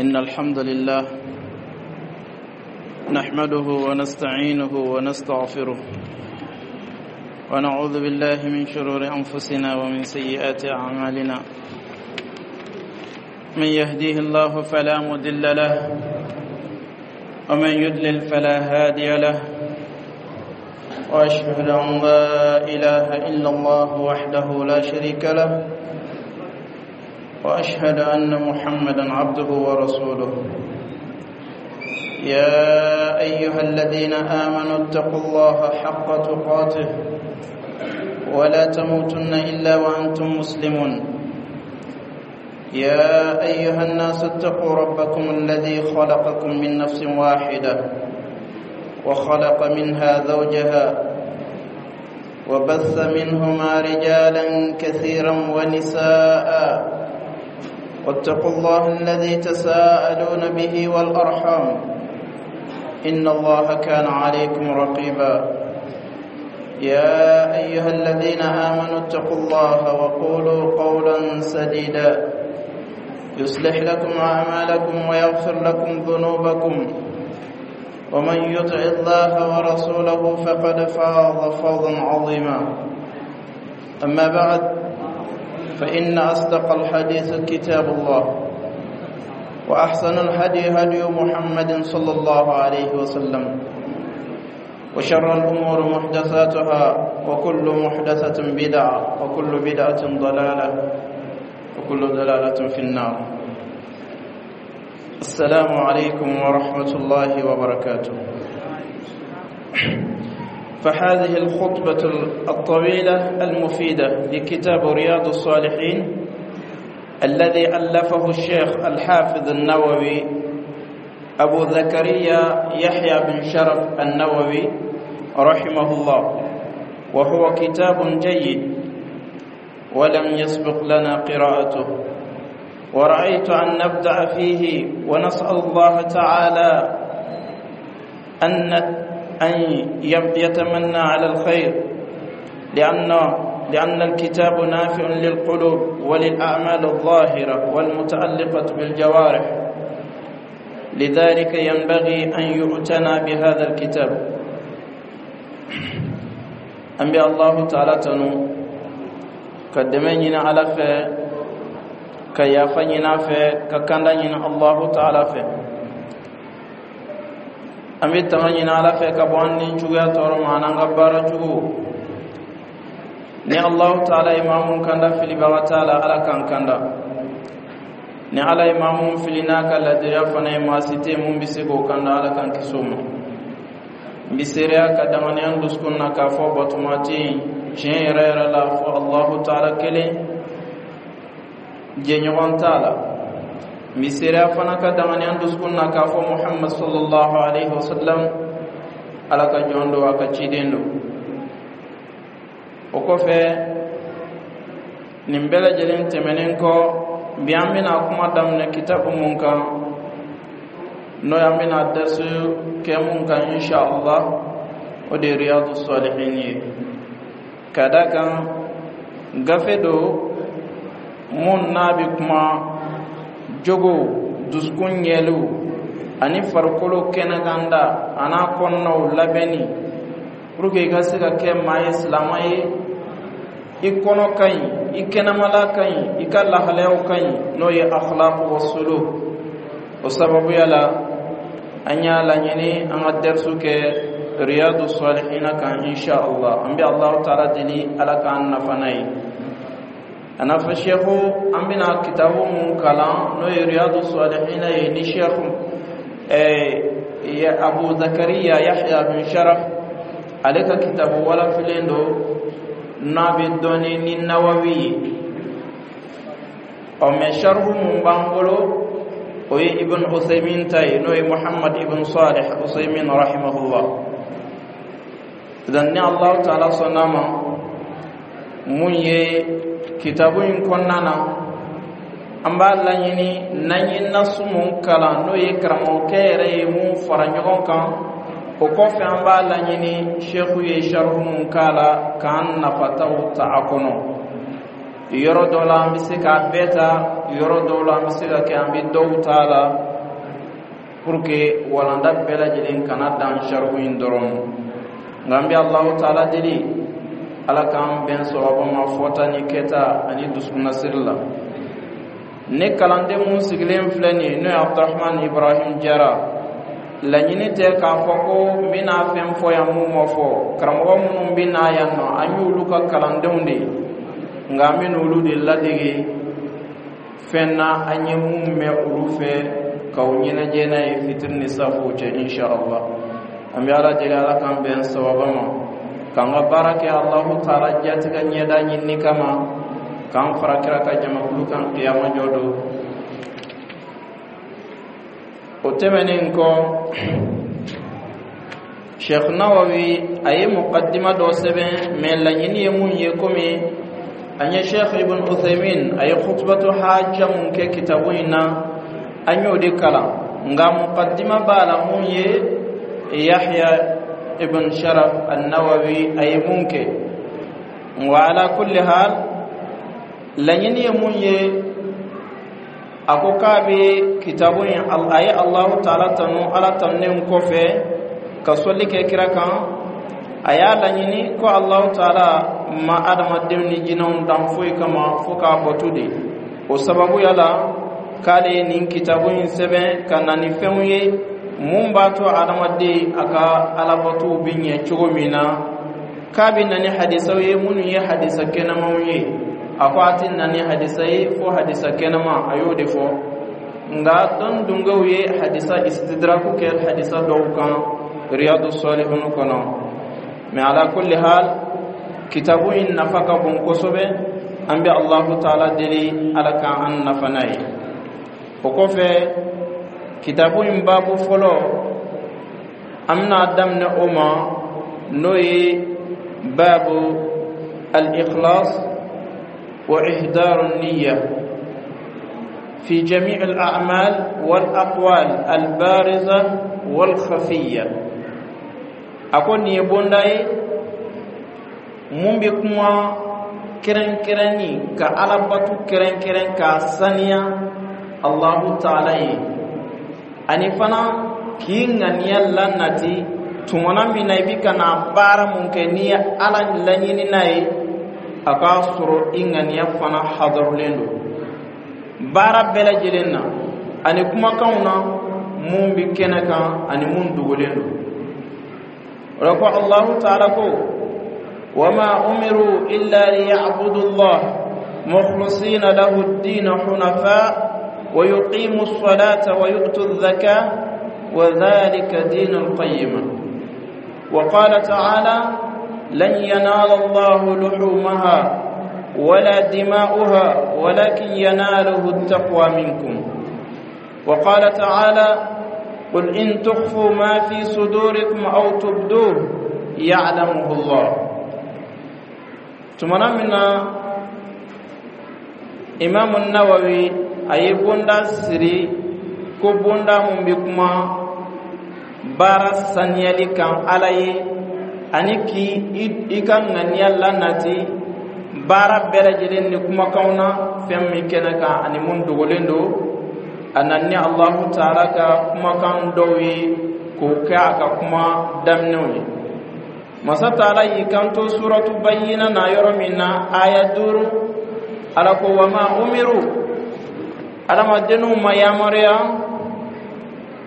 إن الحمد لله نحمده ونستعينه ونستغفره، ونعوذ بالله من شرور أنفسنا ومن سيئات أعمالنا. من يهديه الله فلا مضل له، ومن يضلل فلا هادي له. وأشهد أن لا إله إلا الله وحده لا شريك له، وأشهد أن محمدا عبده ورسوله. يا أيها الذين آمنوا اتقوا الله حق تقاته ولا تموتن إلا وأنتم مسلمون. يا أيها الناس اتقوا ربكم الذي خلقكم من نفس واحدة، وخلق منها زوجها، وبث منهما رجالا كثيرا ونساء. واتقوا الله الذي تساءلون به والأرحام، إن الله كان عليكم رقيبا. يا أيها الذين آمنوا اتقوا الله وقولوا قولا سديدا، يصلح لكم أعمالكم ويغفر لكم ذنوبكم. ومن يطع الله ورسوله فقد فاز فوزا عظيما. أما بعد، فإن أصدق الحديث كتاب الله، وأحسن الهدي هدي محمد صلى الله عليه وسلم، وشر الأمور محدثاتها، وكل محدثة بدعة، وكل بدعة ضلالة، وكل ضلالة في النار. السلام عليكم ورحمة الله وبركاته. فهذه الخطبة الطويلة المفيدة لكتاب رياض الصالحين الذي ألفه الشيخ الحافظ النووي أبو زكريا يحيى بن شرف النووي رحمه الله، وهو كتاب جيد ولم يسبق لنا قراءته، ورأيت أن نبدأ فيه، ونسأل الله تعالى أن يتمنى على الخير، لأن الكتاب نافع للقلوب وللأعمال الظاهرة والمتعلقة بالجوارح، لذلك ينبغي أن يعتنى بهذا الكتاب. An bɛ Allahu Taala tanu, ka dɛmɛ ɲini Ala fɛ, ka yafa ɲini a fɛ, ka kanda ɲini Allahu Taala fɛ. An bɛ tanga ɲini Ala fɛ ka bɔ an ni juguya tɔɔrɔ ma an'an ka baara jugu. Ni Allahu Taala ye maa mun kanda, filibaga t'a la, Ala k'an kanda. Ni Ala ye maa mun fili n'a ka ladiriya fana ye, maa si tɛ mun bɛ se k'o kanda, Ala k'an kisi o ma. N bɛ seereya ka danganiya n dusukun na k'a fɔ batoma tɛ yen tiɲɛ yɛrɛ yɛrɛ la fɔ Allahu Taala kelen, jɛɲɔgɔn t'a la. N bɛ seereya fana ka danganiya n dusukun na k'a fɔ Muhammad sallallahu alaihi wa sallam Ala ka jɔn don, a ka ciden don. O kɔfɛ, nin bɛɛ lajɛlen tɛmɛnen kɔ, bi an bɛna kuma daminɛ kitabu mun kan, n'o ye an bɛna darisu kɛ mun kan insha Allah, o de ye Riyadu Salihin ye. Ka da kan gafe don mun n'a bɛ kuma jogo, dusukun ɲɛliw ani farikolo kɛnɛkanda an'a kɔnɔnaw labɛnni, pour que i ka se ka kɛ maa ye, silama ye, i kɔnɔ ka ɲi, i kɛnɛmala ka ɲi, i ka lahalayaw ka ɲi, n'o ye akhlaq wa suluk. O sababuya la, an y'a laɲini an ka darisu kɛ Riyadu Salihina kan insha Allah. An bɛ Allahu Taala deli, Ala k'an nafa n'a ye. A n'a fɔ seku an bɛna kitabu mun kalan, n'o ye Riyadu Salihina ye, ni Seku Abu Zakariya Yahya bin Sharaf ale ka kitabu walafilen don, n'a bɛ dɔn ni Nawawi ye. Ɔ mɛ sharhu mun b'an bolo, o ye Ibn Usaymin ta ye, n'o ye Muhammad ibn Salih Usaymin rahimahullah. Idan ni Allahu Taala sɔnna ma, mun ye kitabu in kɔnɔna na, an b'a laɲini n'an ye nasu mun kalan, n'o ye karamɔgɔkɛ yɛrɛ ye mun fara ɲɔgɔn kan, o kɔfɛ an b'a laɲini seku ye sharhu mun k'a la, k'an nafataw ta a kɔnɔ. Yɔrɔ dɔ la, an bɛ se k'a bɛɛ ta, yɔrɔ dɔw la, an bɛ se ka kɛ an bɛ dɔw ta a la, pour que walanda bɛɛ lajɛlen kana dan sarihu in dɔrɔn. Nka an bɛ Alahu Taala deli, Ala k'an bɛn sawaba ma fɔta ni kɛta ani dusukunnasiri la. Ne kalanden mun sigilen filɛ nin ye, n'o ye Abdurahman Ibrahim Jara, laɲini tɛ k'a fɔ ko n bɛna fɛn fɔ yan mun ma fɔ. Karamɔgɔ minnu bɛ na yan nɔ, an y'olu ka kalandenw de ye, nka an bɛ n'olu de ladege fɛn na an ye mun mɛn olu fɛ, k'aw ɲɛnajɛ n'a ye fitiri ni safow cɛ, inshallah. An bɛ Ala deli, Ala k'an bɛn sawaba ma, k'an ka baara kɛ Alahu Taala jatigɛ ɲɛda ɲinini kama, k'an fara kira ka jamakulu kan kiyama jɔ don. O tɛmɛnen kɔ, Sheikh Nawawi a ye muqaddima dɔ sɛbɛn, mɛ laɲini ye mun ye, komi an ye Sheikh Ibn Uthaymin a ye khutbatu hajja mun kɛ kitabu in na, an y'o de kalan. Nka muqaddima b'a la mun ye Yahya Ibn Sharaf an-Nawawi a ye mun kɛ. Wa ala kulli hal, laɲini ye mun ye, a ko k'a bɛ kitabu in, a ye Alahu Taala tanu. Ala tanunen kɔfɛ ka sɔli kɛ kira kan, a y'a laɲini ko Alahu Taala ma adamadenw ni jinɛw dan foyi kama fo k'a bato de. O sababuya la, k'ale ye nin kitabu in sɛbɛn ka na ni fɛnw ye mun b'a to adamaden a ka alabatow bɛ ɲɛ cogo min na. K'a bɛ na ni hadisaw ye minnu ye hadisa kɛnɛmanw ye. A ko a tɛ na ni hadisa ye fo hadisa kɛnɛma, a y'o de fɔ. Nka dɔn dungew ye hadisa istidraku kɛ hadisa dɔw kan Riyadu Salihun kɔnɔ. Mɛ ala kulli hal, kitabu in nafa ka bon kosɛbɛ. An bɛ Allahu Taala deli, Ala k'an nafa n'a ye. O kɔfɛ, kitabu in baabu fɔlɔ, an bɛna daminɛ o ma, n'o ye baabu al-ikhlas wa ihdaru niyya fi jami' al-a'mal wal aqwal al-bariza wal khafiyya. A ko nin ye bonda ye mun bɛ kuma kɛrɛnkɛrɛnni ka alabatu kɛrɛnkɛrɛn k'a saniya Allahu Taala ye, ani fana k'i ŋaniya lanati tumana min na i bɛ ka na baara mun kɛ, n'i ye Ala laɲini n'a ye, a k'a sɔrɔ i ŋaniya fana hadarulen don baara bɛɛ lajɛlen na ani kumakanw na mun bɛ kɛnɛ kan ani mun dogolen don. O la ko Allahu Taala ko: wama umiru illa liya'budu Allah mukhlisina lahu ad-din hunafa wa yuqimu as-salata wa yu'tu adh-dhakah wa dhalika dinul qayyimah. Wa qala ta'ala: lan yanala Allahu luhumaha wala dima'uha walakin yanaluhu at-taqwa minkum. Wa qala ta'ala: qul in tukhfu ma fi sudurikum aw tubduhu ya'lamuhu Allah. Tumana min na Imam Nawawi a ye bonda siri ko bonda mun bɛ kuma baara saniyali kan Ala ye, ani k'i i ka ŋaniya lanati baara bɛɛ lajɛlen ni kumakanw na, fɛn min kɛnɛ kan ani mun dogolen don, a nana ni Alahu Taala ka kumakan dɔw ye k'o kɛ a ka kuma daminɛw ye. Masa Taala y'i kanto suratu Bayyina na yɔrɔ min na, aya 5, Ala ko: wama umiru, adamadenw ma yamaruya,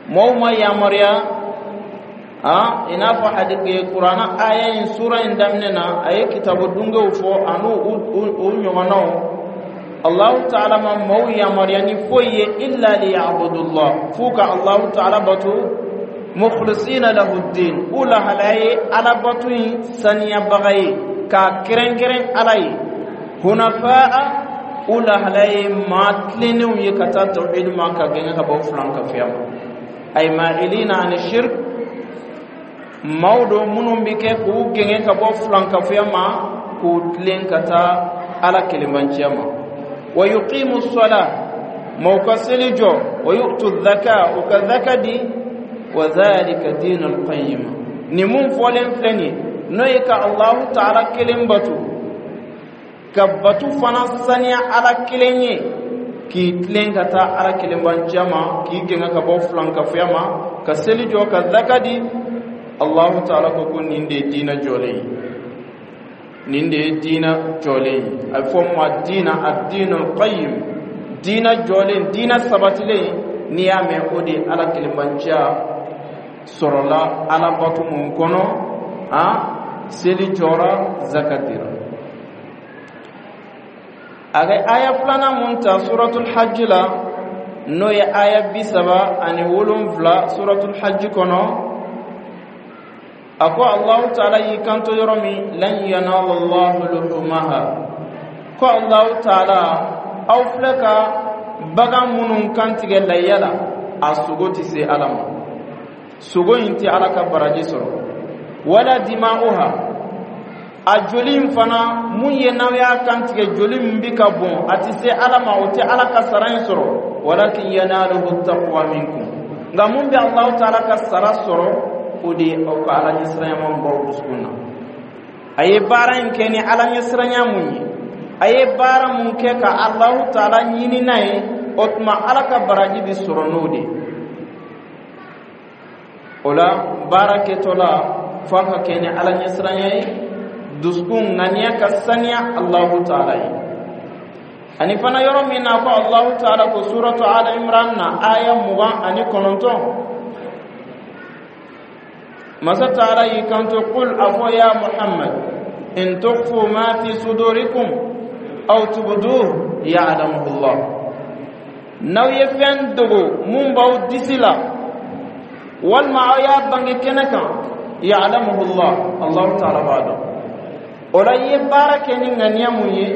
mɔgɔw ma yamaruya. A i n'a fɔ hadisi Kuranna aya in, sura in daminɛ na, a ye kitabu dungew fɔ ani u ɲɔgɔnnaw. Allahu Taala ma maaw yamaruya ni foyi ye illa liya'budullah, f'u ka Allahu Taala bato, mukhlisina lahu din, u lahalaya ye alabato in saniyabaga ye k'a kɛrɛnkɛrɛn Ala ye, hunafa'a, u lahalaya ye maa tilennenw ye ka taa tawhid ma, ka gɛngɛ ka bɔ filankafoya ma, ay ma'ilina ani shirk. Maaw don minnu bɛ kɛ k'u gɛngɛ ka bɔ filankafoya ma, k'u tilen ka taa Ala kelenbanciya ma. Wa yuqimu sala, maaw ka seli jɔ, wa yu'tu dhaka, u ka zaka di, wa dhalika dinul qayyim. Nin mun fɔlen filɛ nin ye, n'o ye ka Allahu Taala kelen bato. Ka batu fana saniya Ala kelen ye, k'i tilen ka taa Ala kelenbanciya ma, k'i gɛngɛ ka bɔ filankafoya ma, ka seli jɔ, ka zaka di. Allahu taala ko nin de ye diina jɔlen ye, nin de ye diina jɔlen ye. A bɛ fɔ ma diina ad-dinul qayyim, diina jɔlen, diina sabatilen. N'i y'a mɛn, o de ye Ala kelenbanciya sɔrɔla Ala bato mun kɔnɔ, a seli jɔra, zaka dira. A ka aya filanan mun ta Suratul Hajj la, n'o ye aya 37 Suratul Hajj kɔnɔ, a ko Allahu taala y'i kanto yɔrɔ min: "Lan yanala Allahu luhumaha", ko Allahu taala, aw filɛ ka bagan minnu kantigɛ layya la, a sogo tɛ se Ala ma, sogo in tɛ Ala ka baraji sɔrɔ. "Wala dima'uha", a joli in fana mun ye, n'aw y'a kantigɛ, joli min bɛ ka bɔn, a tɛ se Ala ma, o tɛ Ala ka sara in sɔrɔ. "Walakin yanaluhu taqwa minkum", nka mun bɛ Alahu taala ka sara sɔrɔ, o de ye aw ka Ala ɲɛsiranya man b'aw dusukun na. A ye baara in kɛ ni Ala ɲɛsiranya mun ye, a ye baara mun kɛ ka Alahu taala ɲini n'a ye, o tuma Ala ka baraji bɛ sɔrɔ n'o de ye. O la, baara kɛtɔ la, f'a ka kɛ ni Ala ɲɛsiranya ye, dusukun ŋaniya ka saniya Alahu taala ye. Ani fana yɔrɔ min na ko Alahu taala ko Suratu Ala Imran na, aya 29, masa taala y'i kanto: "Qul", a fɔ ya Muhammad, "in tukhfu ma fi sudurikum aw tubduhu ya'lamuhu Allah", n'aw ye fɛn dogo mun b'aw disi la, walima aw y'a bange kɛnɛ kan, "ya'lamuhu Allah", Allahu taala b'a dɔn. O la, i ye baara kɛ ni ŋaniya mun ye,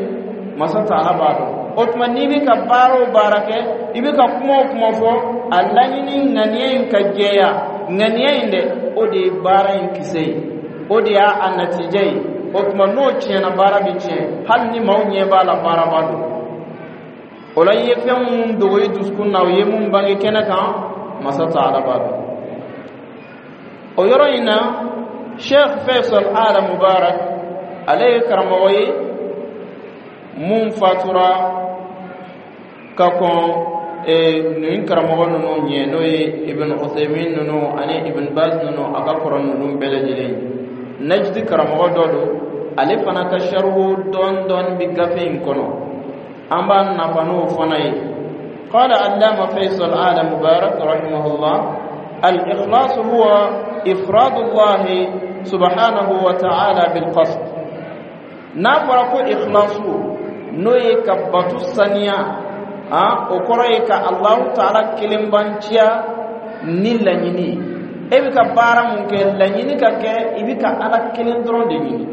masa taala b'a dɔn. O tuma, n'i bɛ ka baara o baara kɛ, i bɛ ka kuma o kuma fɔ, a laɲini ŋaniya in ka jɛya. Ŋaniya in dɛ, o de ye baara in kisɛ ye, o de y'a a natijɛ ye. O tuma, n'o tiɲɛna, baara bɛ tiɲɛ, hali ni maaw ɲɛ b'a la baaraba don. O la, i ye fɛn mun dogo i dusukun na, o ye mun bange kɛnɛ kan, masa taala b'a dɔn. O yɔrɔ in na, Sheikh Faisal Ala Mubarak, ale ye karamɔgɔ ye mun fatura ka kɔn nin karamɔgɔ ninnu ɲɛ, n'o ye Ibn Uthaymin ninnu ani Ibn Baz ninnu, a ka kɔrɔ ninnu bɛɛ lajɛlen ye. Najdi karamɔgɔ dɔ don. Ale fana ka sarihu dɔɔni dɔɔni bɛ gafe in kɔnɔ, an b'a nafa n'o fana ye. قال علامة فيصل آل مبارك رحمه الله: الإخلاص هو إفراد الله سبحانه وتعالى بالقصد. N'a fɔra ko ikhlasu, n'o ye ka batu saniya, a o kɔrɔ ye ka Allahu taala kelenbanciya ni laɲini. E bɛ ka baara mun kɛ, laɲini ka kɛ i bɛ ka Ala kelen dɔrɔn de ɲini.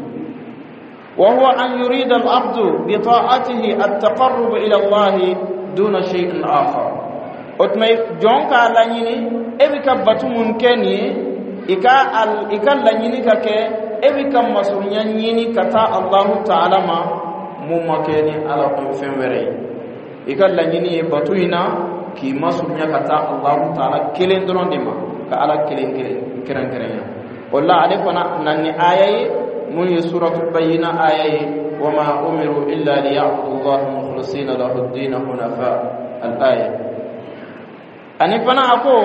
وهو أن يريد العبد بطاعته التقرب إلى الله دون شيء آخر. O tuma, jɔn k'a laɲini, e bɛ ka batu mun kɛ nin ye, i ka laɲini ka kɛ e bɛ ka masurunya ɲini ka taa Allahu taala ma, mun ma kɛ ni Ala kun fɛn wɛrɛ ye. I ka laɲini ye batu in na k'i masurunya ka taa Allahu taala kelen dɔrɔn de ma, ka Ala kelen kelen kɛrɛnkɛrɛnya. O la, ale fana na ni aya ye mun ye, Suratul Bayyina aya ye: "Wama umiru illa liya'budu Allaha mukhlisina lahu ad-din hunafa", al-aya. Ani fana a ko: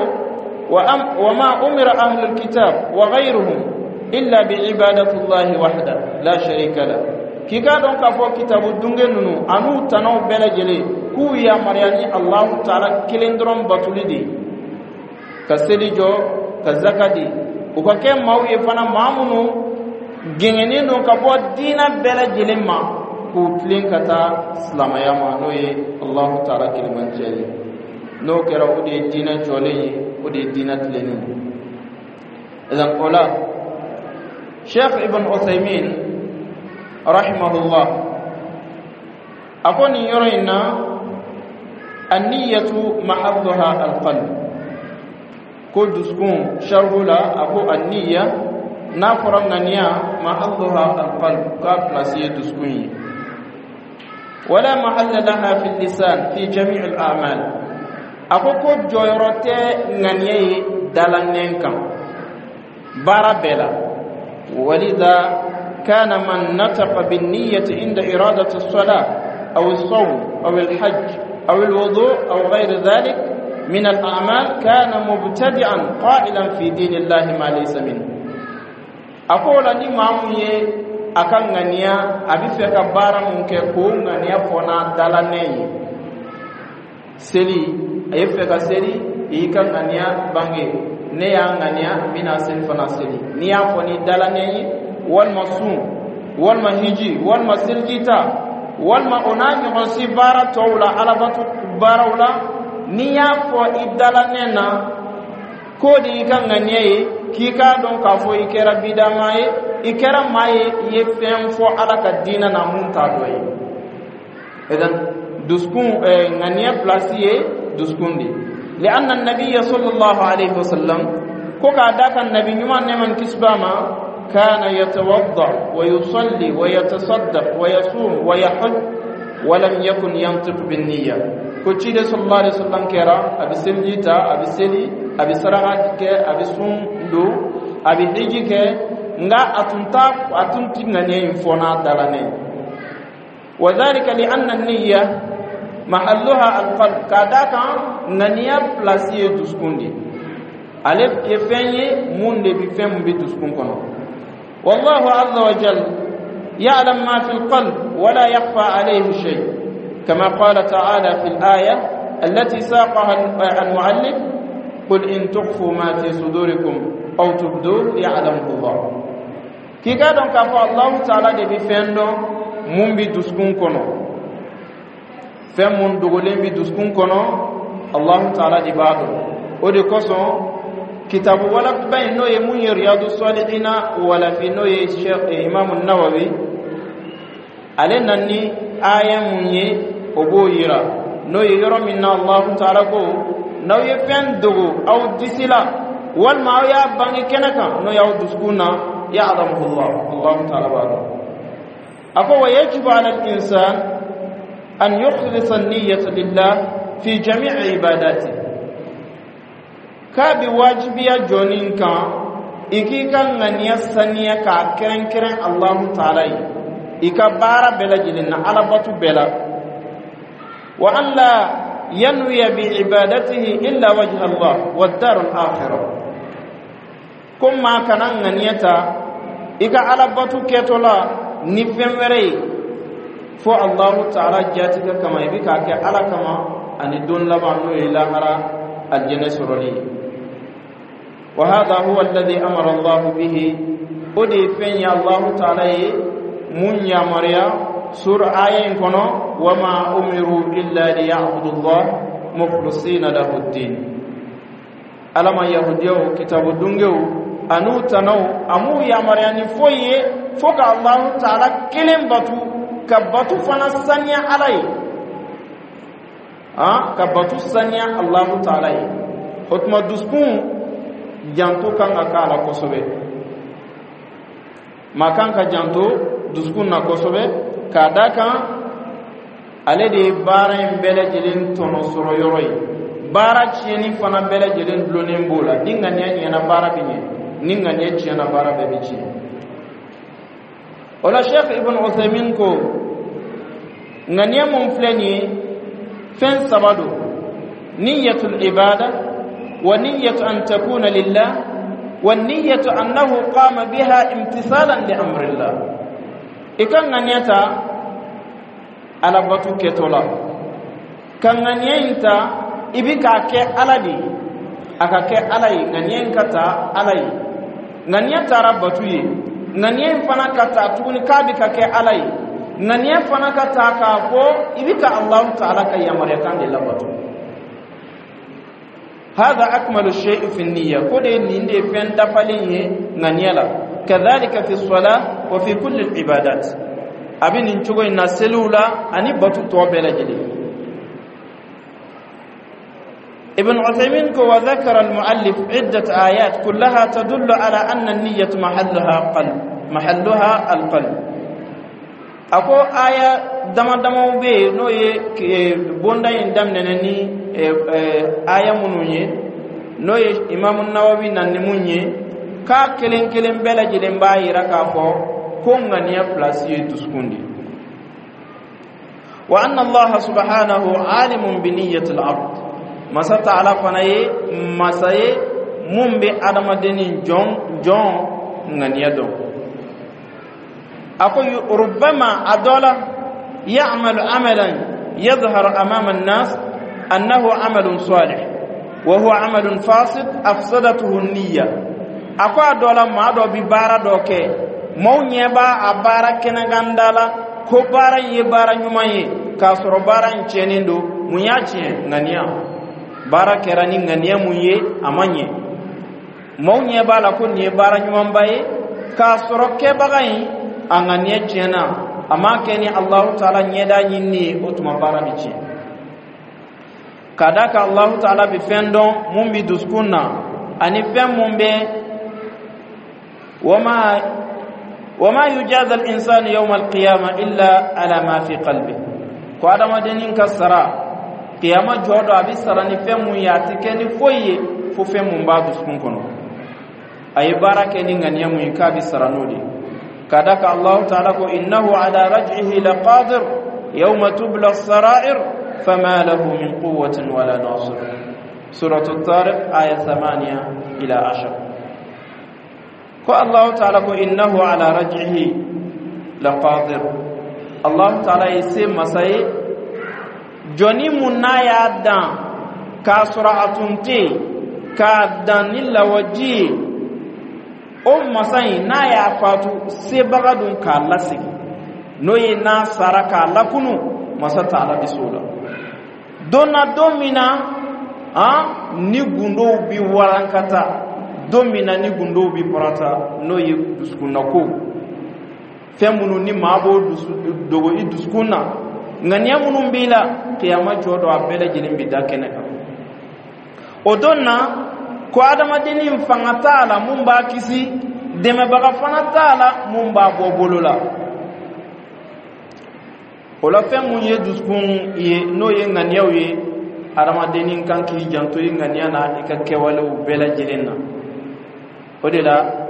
"Wama umira ahlul kitab wa ghayruhum illa bi'ibadati Allahi wahda la sharika la". K'i k'a dɔn k'a fɔ kitabu dunge ninnu an'u tanaw bɛɛ lajɛlen, k'u yamaruya ni Allahu taala kelen dɔrɔn batuli de, ka seli jɔ, ka zaka di. U ka kɛ maaw ye fana, maa minnu gɛngɛnnen don ka bɔ diinɛ bɛɛ lajɛlen ma, k'u tilen ka taa silamɛya ma, n'o ye Allahu taala kelebanciya ye. N'o kɛra, o de ye diinɛ jɔlen ye, o de ye diinɛ tilennen ye. Idan, o la, Sheikh Ibn Uthaymin rahimahullah a ko nin yɔrɔ in na: "Anniyatu mahalluha alqalb". Ko dusukun sharhu la, a ko anniya, n'a fɔra ŋaniya, mahalluha alqalb, k'a place ye dusukun ye. "Wala mahalla laha fi lisan fi jami' al a'mal". A ko jɔyɔrɔ tɛ ŋaniya ye dalanɛn kan baara bɛɛ la. Walida كان من نطق بالنية عند إرادة الصلاة أو الصوم أو الحج أو الوضوء أو غير ذلك من الأعمال كان مبتدعا قائلا في دين الله ما ليس منه. A ko la, ni maa mun ye a ka ŋaniya, a bɛ fɛ ka baara mun kɛ, k'o ŋaniya fɔ n'a dalanɛ ye, seli, a ye fɛ ka seli, i y'i ka ŋaniya bange: ne y'a ŋaniya, n bɛna seli fana seli. N'i y'a fɔ ni dalanɛ ye, walima sun, walima hiji, walima selijita, walima o n'a ɲɔgɔn si baara tɔw la, alabatu baaraw la, n'i y'a fɔ i dalanɛ na k'o de y'i ka ŋaniya ye, k'i k'a dɔn k'a fɔ i kɛra bidama ye, i kɛra maa ye i ye fɛn fɔ Ala ka diinɛ na mun t'a dɔ ye. Idan dusukun, ŋaniya pilasi ye dusukun de. لأن النبي صلى الله عليه وسلم, ko k'a da kan Nabi ɲuman, nɛɛma ni kisi b'a ma, كان يتوضأ ويصلي ويتصدق ويصوم ويحج ولم يكن ينطق بالنية. Ko ciden صلى الله عليه وسلم kɛra a bɛ seliji ta, a bɛ seli, a bɛ saraka kɛ, a bɛ sun don, a bɛ hiji kɛ, nka a tun t'a, a tun ti ŋaniya in fɔ n'a dalanɛ. وذلك لأن النية محلها القلب, k'a da kan ŋaniya pilasi ye dusukun de, ale ye fɛn ye mun de bi, fɛn mun bɛ dusukun kɔnɔ. والله عز وجل يعلم ما في القلب ولا يخفى عليه شيء، كما قال تعالى في الآية التي ساقها المؤلف: قل إن تخفوا ما في صدوركم أو تبدوه يعلمه الله. K'i k'a dɔn k'a fɔ Allahu Taala de bɛ fɛn dɔn mun bɛ dusukun kɔnɔ, fɛn mun dogolen bɛ dusukun kɔnɔ, Allahu Taala de b'a dɔn. O de kosɔn kitabu walafiba in, n'o ye mun ye Riyadu Salihina walafi, n'o ye Sheikh Imam Nawawi, ale na ni aya mun ye, o b'o yira, n'o ye yɔrɔ min na Allahu Taala ko: n'aw ye fɛn dogo aw disi la, walima aw y'a bange kɛnɛ kan, n'o y'aw dusukun na, يعلمه الله, Allahu Taala b'a dɔn. A ko: ويجب على الإنسان أن يخلص النية لله في جميع عباداته. K'a bi wajibiya jɔnnin kan i k'i ka ŋaniya saniya k'a kɛrɛnkɛrɛn Allahu Taala ye i ka baara bɛɛ lajɛlen na, alabatu bɛɛ la. وأن لا ينوي بعبادته إلا وجه الله والدار الآخرة. Ko maa kana ŋaniya ta i ka alabatu kɛtɔ la ni fɛn wɛrɛ ye fo Allahu Taala jatigɛ kama, i bɛ k'a kɛ Ala kama ani don laban, n'o ye lahara aljɛnɛ sɔrɔli ye. وهذا هو الذي أمر الله به, o de ye fɛn ye Allahu Taala ye mun yamaruya sura aya in kɔnɔ: وما أمروا إلا ليعبدوا الله مخلصين له الدين. Ala ma yahudiyaw, kitabu dungew an'u tanaw, a m'u yamaruya ni foyi ye fo ka Allahu Taala kelen batu, ka batu fana saniya Ala ye, ka batu saniya Allahu Taala ye. O tuma dusukun janto kan ka k'a la kosɛbɛ. Maa kan ka janto dusukun na kosɛbɛ, k'a da kan ale de ye baara in bɛɛ lajɛlen tɔnɔ sɔrɔ yɔrɔ ye, baara tiɲɛni fana bɛɛ lajɛlen dulonnen b'o la. Ni ŋaniya ɲɛna, baara bɛ ɲɛ; ni ŋaniya tiɲɛna, baara bɛɛ bɛ tiɲɛ. O la, Sheikh Ibn Uthaymin ko ŋaniya mun filɛ nin ye, fɛn saba don: نية العبادة، ونية أن تكون لله، والنية أنه قام بها امتثالا لأمر الله. I ka ŋaniya ta alabatu kɛtɔ la, ka ŋaniya in ta i bi k'a kɛ Ala de ye, a ka kɛ Ala ye, ŋaniya in ka ta Ala ye. Ŋaniya taara batu ye, ŋaniya in fana ka ta tuguni k'a bi ka kɛ Ala ye, ŋaniya fana ka ta k'a fɔ i bi ka Allahu Taala ka yamaruyakan de labato. هذا أكمل الشيء في النية, ko de nin de fɛn dafalen ye ŋaniya la. كذلك في الصلاة وفي كل العبادات, a bɛ nin cogo in na seliw la ani batu tɔ bɛɛ lajɛlen. Ibn Uthaymin ko: وذكر المؤلف عدة آيات كلها تدل على أن النية محلها قلب، محلها القلب. A ko aya dama damaw bɛ yen, n'o ye bonda in daminɛna ni aya minnu ye, n'o ye Imamu Nawawi na ni mun ye, k'a kelen kelen bɛɛ lajɛlen b'a yira k'a fɔ ko Ko ŋaniya pilasi ye dusukun de. Wa anna Allaha subhanahu alimun bi niyyati al-abd. Masa Taala fana ye masa ye mun bɛ adamadennin jɔn jɔn ŋaniya dɔn. A ko rubbama, a dɔ la, ya'malu amalan yadhharu amama an-nas annahu amalun salih wa huwa amalun fasid afsadatuhu an-niyya. A ko a dɔ la, maa dɔ bi baara dɔ kɛ, maaw ɲɛ b'a a baara kɛnɛkanda la ko baara in ye baara ɲuman ye, k'a sɔrɔ baara in tiɲɛnen don. Mun y'a tiɲɛ? Ŋaniya. Baara kɛra ni ŋaniya mun ye, a ma ɲɛ. Maaw ɲɛ b'a la ko nin ye baara ɲumanba ye, k'a sɔrɔ kɛbaga in a ŋaniya tiɲɛna, a m'a kɛ ni Alahu Taala ɲɛda ɲinini ye. O tuma baara bɛ tiɲɛ, ka d'a kan Alahu Taala bɛ fɛn dɔn mun bɛ dusukun na ani fɛn mun bɛ. Wama yujaza al-insanu yawma al-qiyama illa ala ma fi qalbi. Ko adamadennin ka sara kiyama jɔ dɔ, a bɛ sara ni fɛn mun ye, a tɛ kɛ ni foyi ye fo fɛn mun b'a dusukun kɔnɔ. A ye baara kɛ ni ŋaniya mun ye, k'a bɛ sara n'o de ye, ka da kan Allahu Taala ko innahu ala raj'ihi laqadir yawma tubla as-sara'ir fama lahu min quwwatin wala nasir. Suratu Tariq, aya 8 ila 10. Ko Allahu Taala ko innahu ala raj'ihi laqadir. Allahu Taala ye se masa ye. Jɔnni mun n'a y'a dan k'a sɔrɔ a tun tɛ yen, k'a dan ni lawaji ye, o masa in, n'a y'a fatu, sebaga don k'a lasegin, n'o ye n'a sara k'a lakunu. Masa Taala bɛ s'o la don na, don min na ni gundow bi warankata, don min na ni gundow bi parata, n'o ye dusukunnako fɛn minnu ni maa b'o dusu dogo i dusukun na, ŋaniya minnu b'i la, kiyama jɔ dɔ, a bɛɛ lajɛlen bi da kɛnɛ kan. O don na, ko adamadennin fanga t'a la mun b'a kisi, dɛmɛbaga fana t'a la mun b'a bɔ bolo la. O la, fɛn mun ye dusukun ye, n'o ye ŋaniyaw ye, adamadennin kan k'i janto i ŋaniya na i ka kɛwalew bɛɛ lajɛlen na. O de la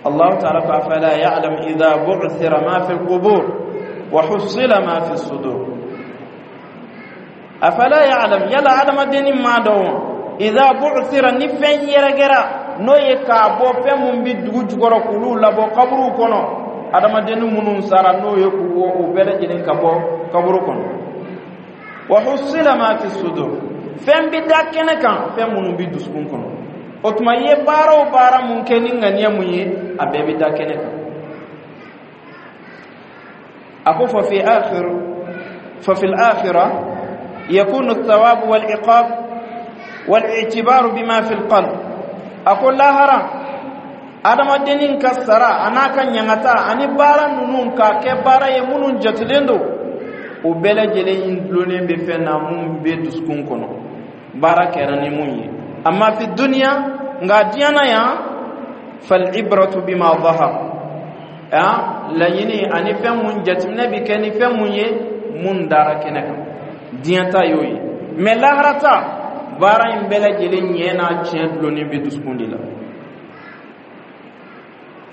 Allahu Taala ko afala ya'lam idha bu'thira ma fi al-qubur wa hussila ma fi sudur. Afala ya'lam, yala adamadennin m'a dɔn wa, idha bu'thira, ni fɛn yɛrɛgɛra, n'o ye k'a bɔ fɛn mun bi dugu jukɔrɔ, k'olu labɔ kaburuw kɔnɔ, adamadennin minnu sara, n'o ye k'u o bɛɛ lajɛlen ka bɔ kaburu kɔnɔ, wa hussila ma fi sudur, fɛn bi da kɛnɛ kan, fɛn minnu bi dusukun kɔnɔ. O tuma, i ye baara o baara mun kɛ ni ŋaniya mun ye, a bɛɛ bɛ da kɛnɛ kan. A ko fa fi al-akhirah yakunu ath-thawab wal-iqab wal-i'tibar bima fi al-qalb. A ko lahara, adamadennin ka sara a n'a ka ɲangata ani baara ninnu k'a kɛ baara ye minnu jatelen don, o bɛɛ lajɛlen dulonnen bɛ fɛn na mun bɛ dusukun kɔnɔ, baara kɛra ni mun ye. Amma fi dunya, nka diɲɛ na yan, fal ibratu bima zahar. Laɲini ani fɛn mun jateminɛ bi kɛ ni fɛn mun ye, mun dara kɛnɛ kan, diɲɛ ta y'o ye. Mɛ lahara ta, baara in bɛɛ lajɛlen ɲɛ n'a tiɲɛ dulonnen bɛ dusukun de la.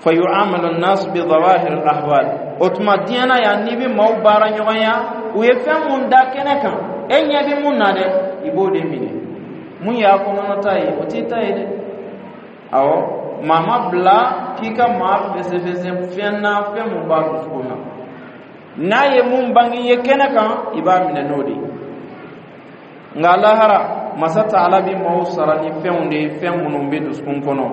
Fa yu'amalu an-nas bi zawahir al-ahwal. O tuma, diɲɛ na yan, n'i bɛ maaw baara ɲɔgɔnya, u ye fɛn mun da kɛnɛ kan, e ɲɛ bɛ mun na dɛ, i b'o de minɛ. Mun y'a kɔnɔna ye, o t'i ta ye dɛ. Awɔ, maa ma bila k'i ka maa fɛsɛfɛsɛ fɛn na, fɛn mun b'a dusukun na. N'a ye mun bange i ye kɛnɛ kan, i b'a minɛ n'o de ye. Nka lahara, Masa Taala bi maaw sara ni fɛnw de ye, fɛn minnu bɛ dusukun kɔnɔ.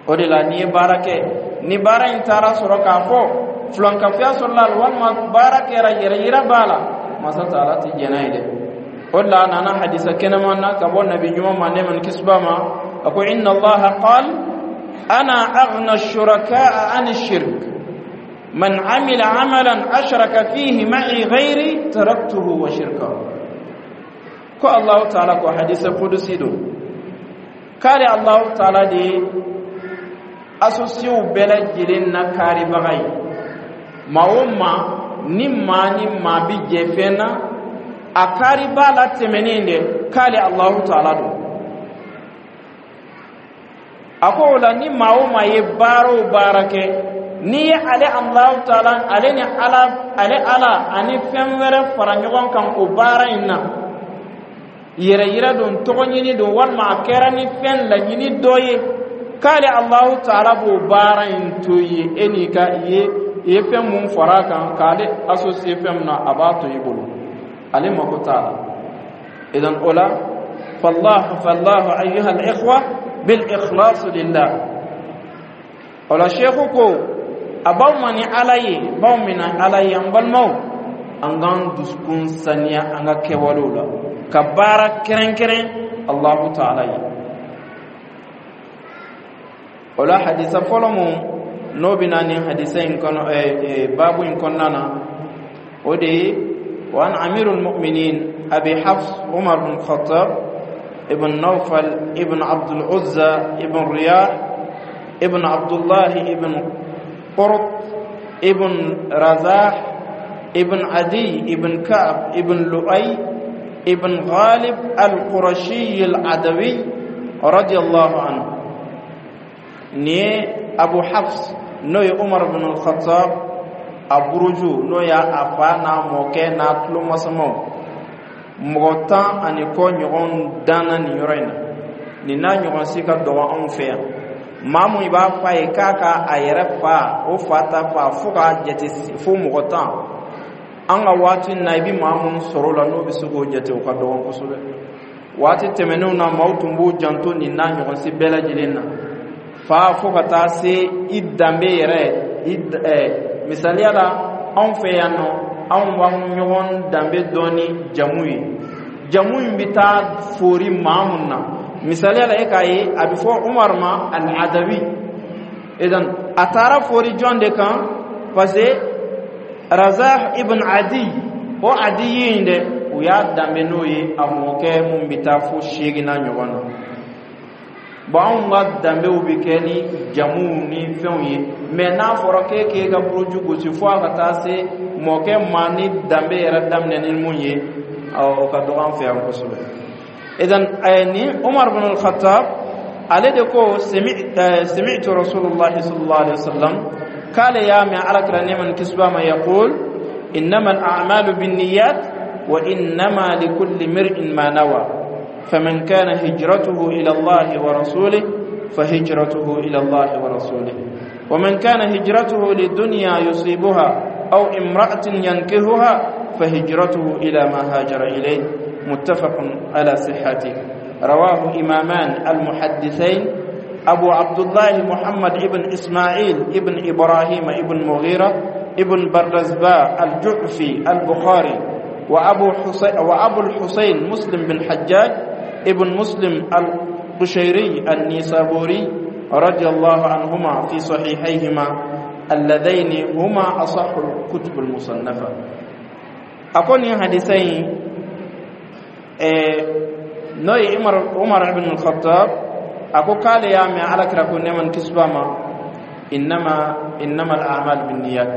O de la, n'i ye baara kɛ, ni baara in taara sɔrɔ k'a fɔ filankafoya sɔrɔla a la, walima baara kɛra yɛrɛ yira b'a la, Masa Taala tɛ jɛn n'a ye dɛ. O de la, a nana hadisa kɛnɛman na ka bɔ Nabi ɲuman ma, nɛɛma ni kisi b'a ma, a ko inna Allaha qal ana aghna ash-shuraka'a an ash-shirk man amila amalan ashraka fihi ma'i ghairi taraktuhu wa shirkahu. Ko Allahu Taala ko, hadisa kudusi don, k'ale Allahu Taala de ye associéw bɛɛ lajɛlen na kaaribaga ye. Maa o maa ni maa ni maa bi jɛ fɛn na, a kaari b'a la tɛmɛnen dɛ, k'ale Allahu Taala don. A ko o la, ni maa o maa ye baara o baara kɛ N'i ye ale Alahu taala, ale ni Ala, ale Ala ani fɛn wɛrɛ fara ɲɔgɔn kan o baara in na, yɛrɛ yira don, tɔgɔ ɲini don, walima a kɛra ni fɛn laɲini dɔ ye, k'ale Alahu taala b'o baara in to i ye. E n'i ka i ye, i ye fɛn mun fara a kan k'ale associé fɛn min na, a b'a to i bolo, ale mako t'a la. Idan o la, فالله فالله أيها الإخوة بالإخلاص لله. O la, seku ko a b'aw ma ni Ala ye, b'aw mina Ala ye. An balimaw, an k'an dusukun saniya an ka kɛwalew la, ka baara kɛrɛnkɛrɛn Allahu taala ye. O la, hadisa fɔlɔ mun n'o bɛ na nin hadisa in kɔnɔ, baabu in kɔnɔna na, o de ye: وعن أمير المؤمنين أبي حفص عمر بن الخطاب ابن نوفل ابن عبد العزى ابن رياح ابن عبد الله ابن قرط ابن رزاح ابن عدي ابن كعب ابن لؤي ابن غالب القرشي العدوي رضي الله عنه. Ni Abu Hafs, n'o ye Umar bin al-Khattab a buruju, n'o y'a a fa n'a mɔkɛ n'a tulomasamaw, mɔgɔ 10 ani kɔ ɲɔgɔn danna nin yɔrɔ in na. Nin n'a ɲɔgɔn si ka dɔgɔ anw fɛ yan. Maa mun i b'a f'a ye k'a ka a yɛrɛ fa, o fa ta fa, fo k'a jate fo mɔgɔ 10, an ka waati na, i bɛ maa mun sɔrɔ o la n'o bɛ se k'o jate, o ka dɔgɔn kosɛbɛ. Waati tɛmɛnenw na, maaw tun b'u janto nin n'a ɲɔgɔn si bɛɛ lajɛlen na, fa fo ka taa se i danbe yɛrɛ i. Misaliya la, anw fɛ yan nɔ, anw b'an ɲɔgɔn danbe dɔn ni jamu ye. Jamu in bɛ taa fori maa mun na, misaliya la, e k'a ye a bɛ fɔ Umar ma al-Adawi. Idan a taara fori jɔn de kan? Parce que Razah ibn Adi, o Adi in dɛ, u y'a danbe n'o ye, a mɔkɛ mun bɛ taa fo seeginna ɲɔgɔn na. Bon, anw ka danbew bɛ kɛ ni jamuw ni fɛnw ye, mais n'a fɔra k'e k'e ka buruju gosi fo a ka taa se mɔkɛ ma ni danbe yɛrɛ daminɛ ni mun ye, o ka dɔgɔ an fɛ yan kosɛbɛ. Idan ni Umar bin al-Khattab, ale de ko: سمعت رسول الله صلى الله عليه وسلم, k'ale y'a mɛn Ala kira nɛɛma ni kisi b'a ma, يقول: إنما الأعمال بالنيات وإنما لكل امرئ ما نوى، فمن كان هجرته إلى الله ورسوله فهجرته إلى الله ورسوله، ومن كان هجرته لدنيا يصيبها أو امرأة ينكحها فهجرته إلى ما هاجر إليه. متفق على صحته. رواه إمامان المحدثين أبو عبد الله محمد ابن إسماعيل ابن إبراهيم ابن مغيرة ابن بردزبة الجعفي البخاري، وأبو الحسين مسلم بن حجاج ابن مسلم القشيري النيسابوري رضي الله عنهما في صحيحيهما اللذين هما أصح الكتب المصنفة. أقول حديثين n'o ye Umar ibn al-Khattab, a ko k'ale y'a mɛn Ala kira ko nɛɛma ni kisi b'a ma: إنما الأعمال بالنيات.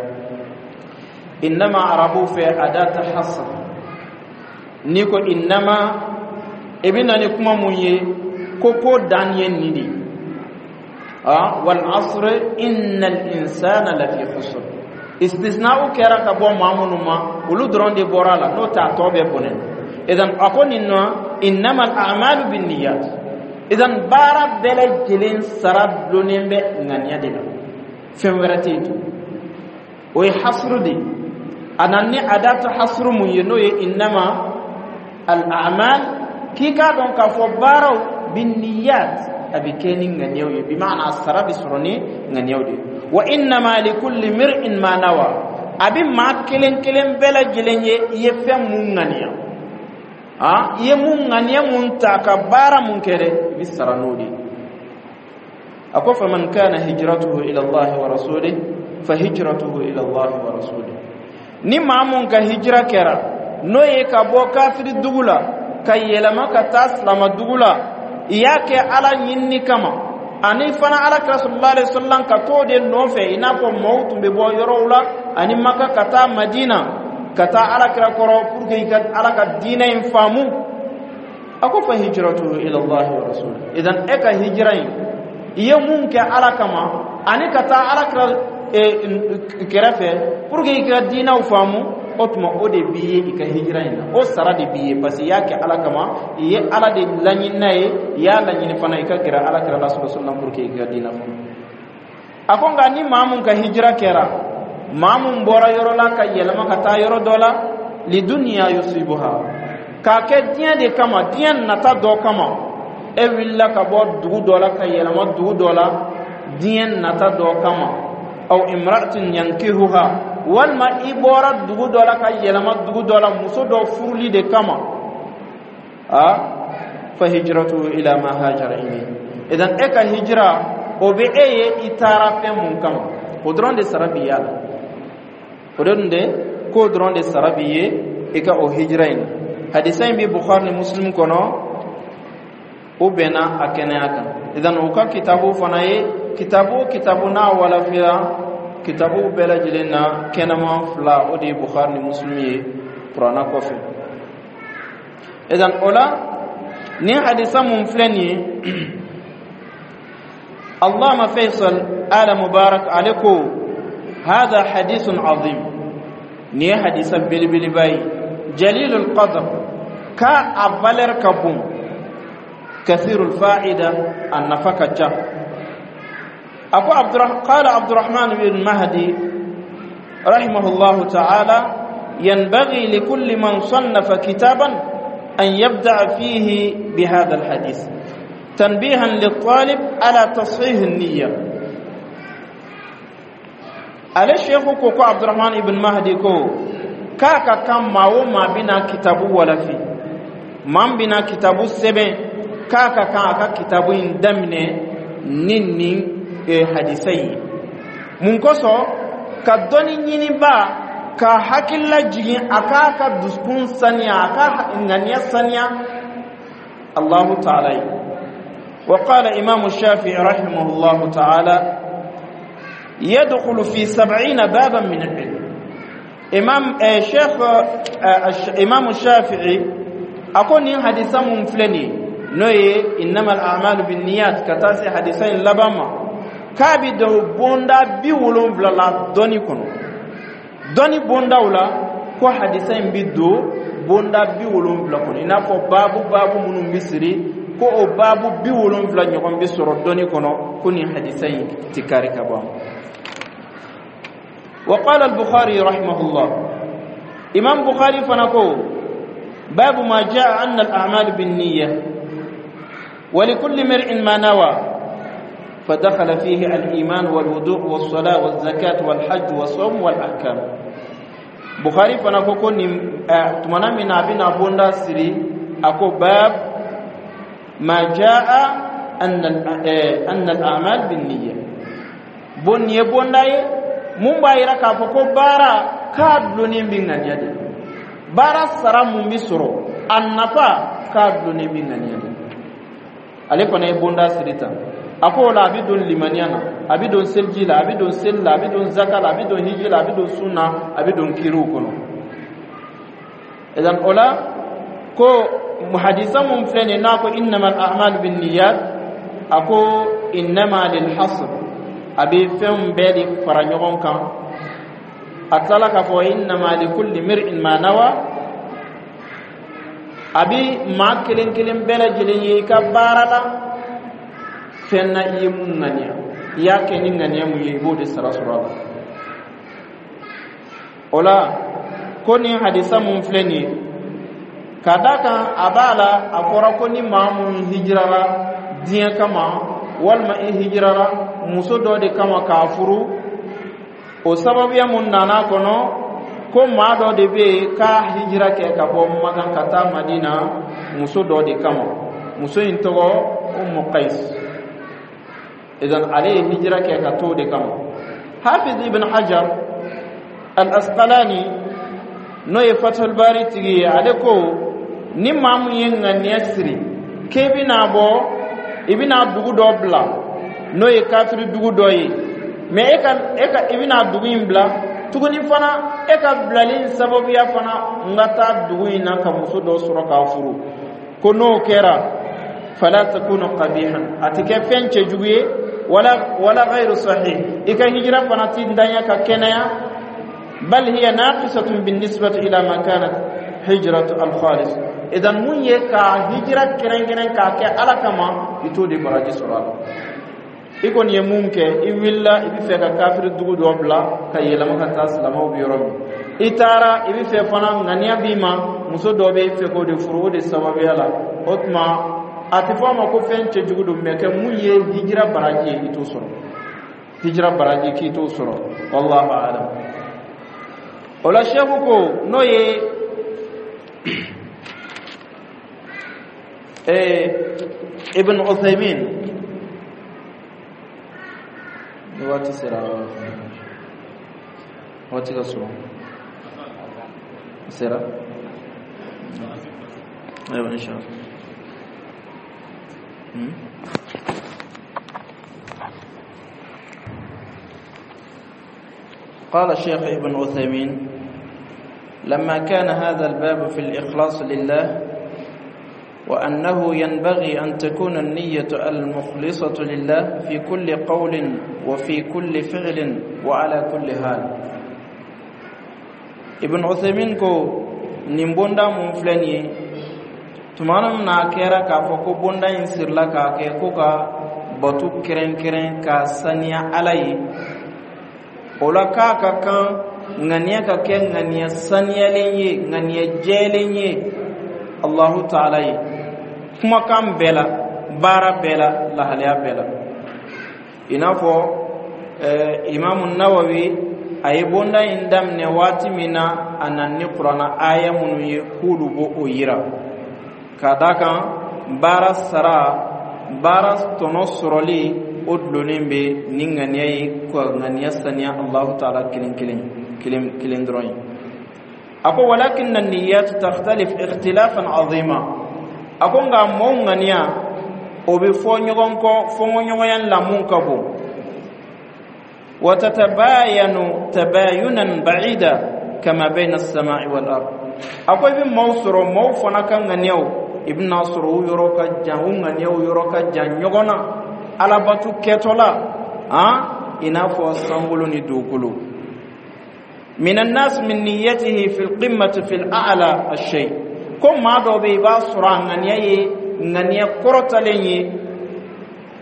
إنما arabu fɛ أداة حصر. N'i ko إنما, i bɛ na ni kuma mun ye ko ko dan ye nin de ye. والعصر إن الإنسان لفي خسر. Istisna'u kɛra ka bɔ maa minnu ma, olu dɔrɔn de bɔra a la, n'o tɛ a tɔ bɛɛ bɔnɛ. Idan a ko nin nɔ: إنما الأعمال بالنيات. Idan baara bɛɛ lajɛlen sara dulonnen bɛ ŋaniya de la, fɛn wɛrɛ tɛ yen tugun. O ye حصر de ye. A nana ni أداة حصر mun ye, n'o ye إنما الأعمال, k'i k'a dɔn k'a fɔ baaraw بالنيات, a bɛ kɛ ni ŋaniyaw ye, بمعنى a sara bɛ sɔrɔ ni ŋaniyaw de ye. وإنما لكل امرئ ما نوى, a bɛ maa kelen kelen bɛɛ lajɛlen ye i ye fɛn mun ŋaniya. I ye mun ŋaniya mun ta ka baara mun kɛ dɛ, i bɛ sara n'o de ye. A ko: فمن كان هجرته إلى الله ورسوله فهجرته إلى الله ورسوله. Ni maa mun ka hijira kɛra n'o ye ka bɔ kafiri dugu la ka yɛlɛma ka taa silama dugu la, i y'a kɛ Ala ɲinini kama, ani fana Ala kira صلى الله عليه وسلم ka t'o de nɔfɛ, i n'a fɔ maaw tun bɛ bɔ yɔrɔw la ani Maka ka taa Madina ka taa Ala kira kɔrɔ pour que i ka Ala ka diinɛ in faamu. A ko: فهجرته إلى الله ورسوله. Idan e ka hijira in, i ye mun kɛ Ala kama ani ka taa Ala kira kɛrɛfɛ pour que i ka diinɛw faamu. O tuma, o de b'i ye i ka hijira in na, o sara de b'i ye, parce que i y'a kɛ Ala kama, i ye Ala de laɲini n'a ye, i y'a laɲini fana i ka gɛrɛ Ala kira la sallallahu alaihi wasallam pour que i ka diinɛ faamu. A ko nka ni maa mun ka hijira kɛra, maa mun bɔra yɔrɔ la ka yɛlɛma ka taa yɔrɔ dɔ la, lidunya yusibuha, k'a kɛ diɲɛ de kama, diɲɛ nata dɔ kama, e wulila ka bɔ dugu dɔ la ka yɛlɛma dugu dɔ la diɲɛ nata dɔ kama, aw imra'atin yankihuha, walima i bɔra dugu dɔ la ka yɛlɛma dugu dɔ la muso dɔ furuli de kama, a fa hijratu ila ma hajara ilayhi. Idan e ka hijira, o bɛ e ye i taara fɛn mun kama, o dɔrɔn de sara b'i y'a la. O dɔrɔn de k'o dɔrɔn de sara b'i ye i ka o hijira in. Hadisa in bɛ Bukhari ni Muslim kɔnɔ, o bɛnna a kɛnɛya kan. Idan u ka kitabu fana ye kitabu o kitabu n'a walafiya, kitabu bɛɛ lajɛlen na kɛnɛman fila, o de ye Bukhari ni Muslim ye Kuranna kɔfɛ. Idan o la, nin hadisa mun filɛ nin ye, Allama Faisal Ala Mubarak, ale ko: هذا حديث عظيم, nin ye hadisa belebeleba ye, jalilul qadr, ka a valeur ka bon, kathirul fa'ida, a nafa ka ca. A ko قال عبد الرحمن بن مهدي رحمه الله تعالى: ينبغي لكل من صنف كتابا أن يبدأ فيه بهذا الحديث تنبيها للطالب على تصحيح النية. Ale sheikhu ko Abdurrahman ibn Mahdi ko k'a ka kan maa o maa bɛna kitabu walafi, maa min bɛna kitabu sɛbɛn, k'a ka kan a ka kitabu in daminɛ ni nin hadisa ye. Mun kosɔn? Ka dɔnni ɲiniba ka hakilila jigin a k'a ka dusukun saniya, a ka ŋaniya saniya Allahu ta'ala ye. وقال إمام الشافعي رحمه الله تعالى: يدخل في 70 بابا من العلم. إمام شيخ إمام الشافعي أكون حديثا مفلني نوي إنما الأعمال بالنيات كتاسي حديثين لبما كابي دو بوندا 70 la dɔnni kɔnɔ, dɔnni bondaw la, ko hadisa in bi don bonda 70 kɔnɔ, i n'a fɔ baabu baabu minnu bi siri, ko o baabu 70 ɲɔgɔn bi sɔrɔ dɔnni kɔnɔ, ko nin hadisa in ti kari ka bɔ a ma. وقال البخاري رحمه الله، إمام بخاري فنكو: باب ما جاء أن الأعمال بالنية ولكل امرئ ما نوى، فدخل فيه الإيمان والوضوء والصلاة والزكاة والحج والصوم والأحكام. بخاري فنكو كون تمنى من أبينا بوندا سري أكو: باب ما جاء أن الأعمال بالنية. bon ye bonda ye mun b'a yira k'a fɔ ko baara k'a dulonnen bɛ ŋaniya de, baara sara mun bɛ sɔrɔ, a nafa k'a dulonnen bɛ ŋaniya de. Ale fana ye bonda siri tan. A ko o la, a bɛ don limaniya na, a bɛ don seliji la, a bɛ don seli la, a bɛ don zaka la, a bɛ don hiji la, a bɛ don sun na, a bɛ don kiriw kɔnɔ. Idan o la, ko hadisa mun filɛ nin ye, n'a ko innamal a'malu bin niyyat, a ko innama lil hasr, a bɛ fɛnw bɛɛ de fara ɲɔgɔn kan. A tilala k'a fɔ innama likulli mir'in ma nawa, a bɛ maa kelen kelen bɛɛ lajɛlen ye i ka baara la, fɛn na i ye mun ŋaniya, i y'a kɛ ni ŋaniya mun ye, i b'o de sara sɔrɔ a la. O la, ko nin hadisa mun filɛ nin ye, ka da kan a b'a la, a fɔra ko ni maa mun hijirara diɲɛ kama, walima i hijirara muso dɔ de kama k'a furu, o sababuya mun nana kɔnɔ, ko maa dɔ de bɛ yen k'a hijira kɛ ka bɔ Makan ka taa Madina muso dɔ de kama. Muso in tɔgɔ Umu Qais. Idan ale ye hijira kɛ ka t'o de kama. Hafiz ibn Hajar al Asqalani, n'o ye Fathul Bari tigi ye, ale ko ni maa mun ye ŋaniya siri k'e bɛna bɔ, i bɛna dugu dɔ bila, n'o ye kafiri dugu dɔ ye, mɛ e ka i bɛna dugu in bila tuguni fana, e ka bilali in sababuya fana n ka taa dugu in na ka muso dɔ sɔrɔ k'a furu, ko n'o kɛra, fala takunu qabihan, a tɛ kɛ fɛn cɛjugu ye. Wala ghayru sahih, i ka hijira fana ti ntanya ka kɛnɛya. Bal hiya naqisatun binnisbati ila ma kanat hijratu al-khalis. Idan mun ye ka hijira kɛrɛnkɛrɛn k'a kɛ Ala kama, i t'o de baraji sɔrɔ a la. I kɔni ye mun kɛ, i wulila, i bɛ fɛ ka kafiri dugu dɔ bila ka yɛlɛma ka taa silamɛw bɛ yɔrɔ min, i taara, i bɛ fɛ fana, ŋaniya b'i ma, muso dɔ bɛ e fɛ k'o de furu, o de sababuya la. O tuma a tɛ fɔ a ma ko fɛn cɛjugu don, mɛ kɛ mun ye hijira baraji ye, i t'o sɔrɔ. Hijira baraji k'i t'o sɔrɔ, wallahu alam. O la seku ko, n'o ye Ibn Uthaymin, ni waati sera, waati ka surun sera, ayiwa, inshallah. قال الشيخ ابن عثيمين: لما كان هذا الباب في الإخلاص لله، وأنه ينبغي أن تكون النية المخلصة لله في كل قول وفي كل فعل وعلى كل حال. Ibn Uthaymin ko nin bonda mun filɛ nin ye, tuma min na a kɛra k'a fɔ ko bonda in sirila k'a kɛ ko ka bato kɛrɛnkɛrɛn k'a saniya Ala ye, o la k'a ka kan ŋaniya ka kɛ ŋaniya saniyalen ye, ŋaniya jɛlen ye Allahu taala ye, kumakan bɛɛ la, baara bɛɛ la, lahalaya bɛɛ la. I n'a fɔ Imamu Nawawi, a ye bonda in daminɛ waati min na, a nana ni Kuranna aya minnu ye k'olu b'o o yira, ka d'a kan baara sara, baara tɔnɔ sɔrɔli, o dulonnen bɛ ni ŋaniya ye, ka ŋaniya saniya Allahu taala kelen kelen kelen kelen dɔrɔn ye. A ko: walakin niyat takhtalif ikhtilafan azima. A ko nka mɔɔw ŋaniya, o bɛ fɔ ɲɔgɔn kɔ, fɔɲɔgɔnya la mun ka bon. وتتباين تباينا بعيدا كما بين السماء والأرض. A ko i bɛ maaw sɔrɔ, maaw fana ka ŋaniyaw, i bɛna sɔrɔ u yɔrɔ ka jan, u ŋaniyaw yɔrɔ ka jan ɲɔgɔn na alabatu kɛtɔ la, han, i n'a fɔ sankolo ni dugukolo. من الناس من نيته في القمة في الأعلى الشيء. Ko maa dɔw bɛ yen, i b'a sɔrɔ a ŋaniya ye ŋaniya kɔrɔtalen ye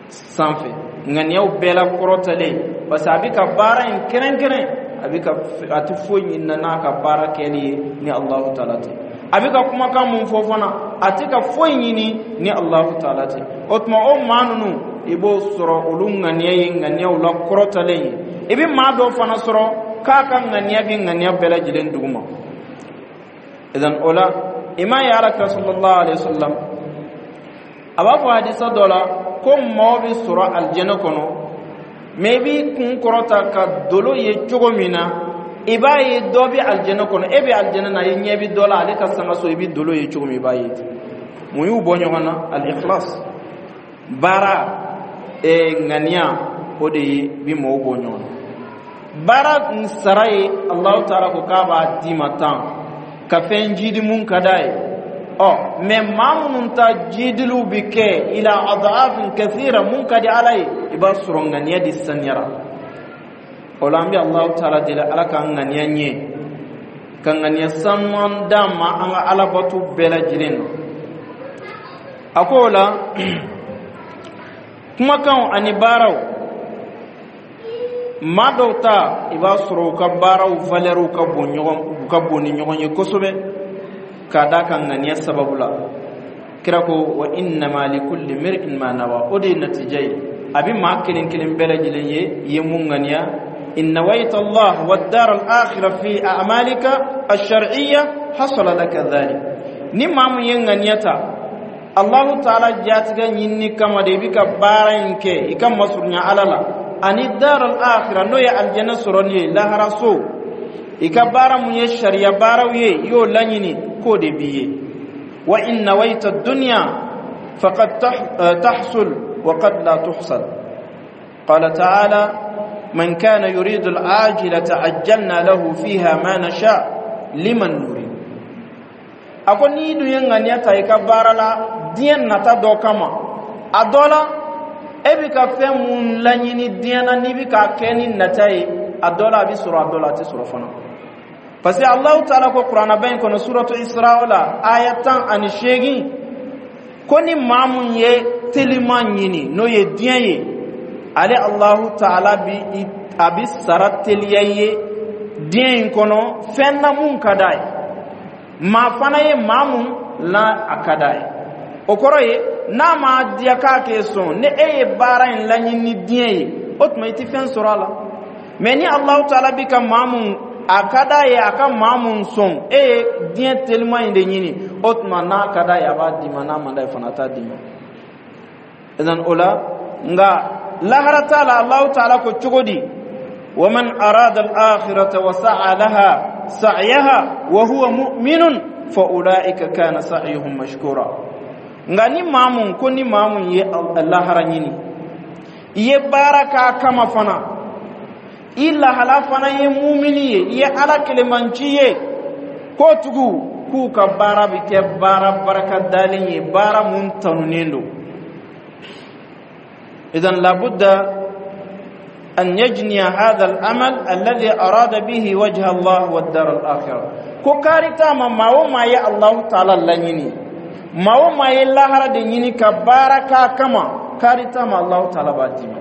sanfɛ ŋaniyaw bɛɛ la kɔrɔtalen, parce que a bɛ ka baara in kɛrɛnkɛrɛn, a bɛ ka, a tɛ foyi ɲini n'a ka baara kɛli ye ni Alahu taala tɛ. A bɛ ka kumakan mun fɔ fana, a tɛ ka foyi ɲini ni Alahu taala tɛ. O tuma o maa ninnu, i b'o sɔrɔ olu ŋaniya ye ŋaniyaw la kɔrɔtalen ye. I bɛ maa dɔw fana sɔrɔ k'a ka ŋaniya bɛ ŋaniya bɛɛ lajɛlen duguma. Idan o la, i m'a ye Ala kira sallallahu alaihi wa sallam a b'a fɔ hadisa dɔ la ko mɔgɔ bɛ sɔrɔ alijɛnɛ kɔnɔ, mɛ i b'i kun kɔrɔta ka dolo ye cogo min na, i b'a ye dɔ bɛ alijɛnɛ kɔnɔ, e bɛ alijɛnɛ na, i ɲɛ bɛ dɔ la, ale ka sangaso, i bɛ dolo ye cogo min, i b'a ye ten. Mun y'u bɔ ɲɔgɔn na? Al-ikhlas, baara ŋaniya, o de ye bi mɔgɔw bɔ ɲɔgɔn na. Baara sara ye, Alahu taala ko k'a b'a d'i ma tan ka fɛn jidi mun ka d'a ye. Ɔ mɛ maa minnu ta jidiliw bɛ kɛ ila adafin kathira, mun ka di Ala ye, i b'a sɔrɔ ŋaniya de saniyara. O la an bɛ Alahu taala deli, Ala k'an ŋaniya ɲɛ, ka ŋaniya sanuman d'an ma an ka alabato bɛɛ lajɛlen na. A ko o la, kumakanw ani baaraw, maa dɔw ta, i b'a sɔrɔ u ka baaraw valɛriw ka bon ɲɔgɔn, u ka bon ni ɲɔgɔn ye kosɛbɛ, k'a d'a kan ŋaniya sababu la. Kira ko: wa innama likulli mir'in ma nawa. O de ye natija ye, a bɛ maa kelen kelen bɛɛ lajɛlen ye, i ye mun ŋaniya. In nawaita Allah wa dar al-akhirah fi a'malika ash-shar'iyya, hasala laka dhalik. Ni maa mun ye ŋaniya ta Allahu taala jatigɛ ɲinini kama de, i bɛ ka baara in kɛ i ka masurunya Ala la ani dar al-akhirah, n'o ye alijɛnɛ sɔrɔli ye, laharaso, i ka baara mun ye sariya baaraw ye, i y'o laɲini, k'o de b'i ye. Wa in nawaita dunya, faqad tahsul wa qad la tuhsal. Qala ta'ala: man kana yuridu al-ajilata ajjalna lahu fiha ma nasha liman nurid. A ko n'i dun ye ŋaniya ta i ka baara la diɲɛ nata dɔ kama, a dɔ la E bɛ ka fɛn mun laɲini diɲɛ na, n'i bɛ k'a kɛ ni nata ye, a dɔ la a bɛ sɔrɔ, a dɔ la a tɛ sɔrɔ fana, parce que Alahu Taala ko Kuranaba in kɔnɔ, Suratu Isra la, aya 18, ko ni maa mun ye teliman ɲini, n'o ye diɲɛ ye, ale Alahu Taala bi a bi sara teliya i ye diɲɛ in kɔnɔ fɛn na mun ka d'a ye. Maa fana ye maa mun la a ka d'a ye, o kɔrɔ ye n'a ma diya k'a k'e sɔn. Ni e ye baara in laɲini ni diɲɛ ye, o tuma i tɛ fɛn sɔrɔ a la. Mɛ ni Alahu Taala bi ka maa mun a ka d'a ye, a ka maa mun sɔn, e ye diɲɛ teliman in de ɲini, o tuma n'a ka d'a ye, a b'a d'i ma, n'a man d'a ye fana, a t'a d'i ma. Idan o la, nka lahara t'a la, Alahu Taala ko cogo di? ومن أراد الآخرة وسعى لها سعيها وهو مؤمن فأولئك كان سعيهم مشكورا. Nka ni maa mun ko ni maa mun ye lahara ɲini, i ye baara k'a kama fana, i lahala fana ye mumini ye, i ye Ala kelemanci ye, k'o tugu k'u ka baara bɛ kɛ baara baraka dalen ye, baara mun tanunen don. إذن لابد أن يجني هذا العمل الذي أراد به وجه الله والدار الآخرة. Ko karita ma, maa o maa ye Allahu Taala laɲini, maa o maa ye lahara de ɲini ka baara k'a kama, karita ma, Allahu Taala b'a d'i ma.